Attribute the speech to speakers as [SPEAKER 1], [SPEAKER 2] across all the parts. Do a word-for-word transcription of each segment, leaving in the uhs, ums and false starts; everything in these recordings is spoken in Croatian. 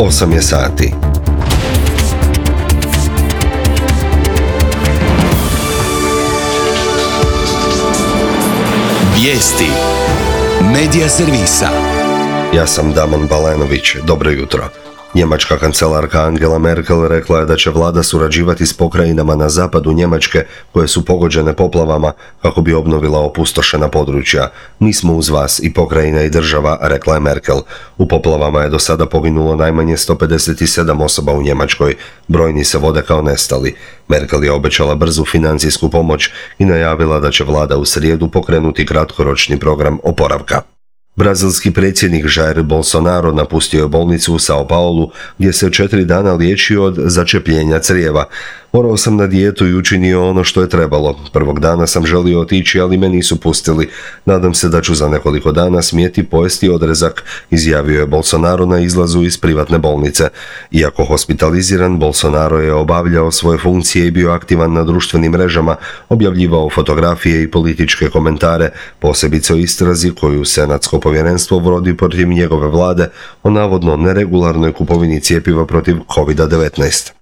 [SPEAKER 1] osam je sati.
[SPEAKER 2] Vijesti Medija servisa.
[SPEAKER 1] Ja sam Damon Balenović. Dobro jutro. Njemačka kancelarka Angela Merkel rekla je da će vlada surađivati s pokrajinama na zapadu Njemačke koje su pogođene poplavama kako bi obnovila opustošena područja. Mi smo uz vas i pokrajina i država, rekla je Merkel. U poplavama je do sada poginulo najmanje sto pedeset sedam osoba u Njemačkoj. Brojni se vode kao nestali. Merkel je obećala brzu financijsku pomoć i najavila da će vlada u srijedu pokrenuti kratkoročni program oporavka. Brazilski predsjednik Jair Bolsonaro napustio je bolnicu u Sao Paulu gdje se četiri dana liječio od začepljenja crijeva. Morao sam na dijetu i učinio ono što je trebalo. Prvog dana sam želio otići, ali me nisu pustili. Nadam se da ću za nekoliko dana smjeti pojesti odrezak, izjavio je Bolsonaro na izlazu iz privatne bolnice. Iako hospitaliziran, Bolsonaro je obavljao svoje funkcije i bio aktivan na društvenim mrežama, objavljivao fotografije i političke komentare, posebice o istrazi koju Senatsko povjerenstvo vodi protiv njegove vlade o navodno neregularnoj kupovini cjepiva protiv kovid devetnaest.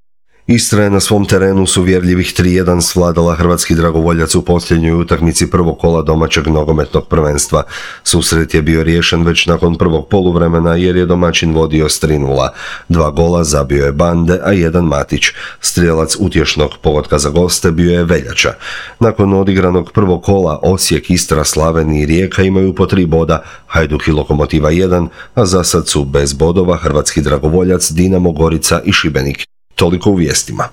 [SPEAKER 1] Istra je na svom terenu s uvjerljivih tri jedan svladala hrvatski dragovoljac u posljednjoj utakmici prvog kola domaćeg nogometnog prvenstva. Susret je bio riješen već nakon prvog poluvremena jer je domaćin vodio s tri nula. Dva gola zabio je Bande, a jedan Matić. Strijelac utješnog pogotka za goste bio je Veljača. Nakon odigranog prvog kola Osijek, Istra, Slaven i Rijeka imaju po tri boda, Hajduk i Lokomotiva jedan, a za sad su bez bodova hrvatski dragovoljac, Dinamo, Gorica i Šibenik. Toliko u vijestima.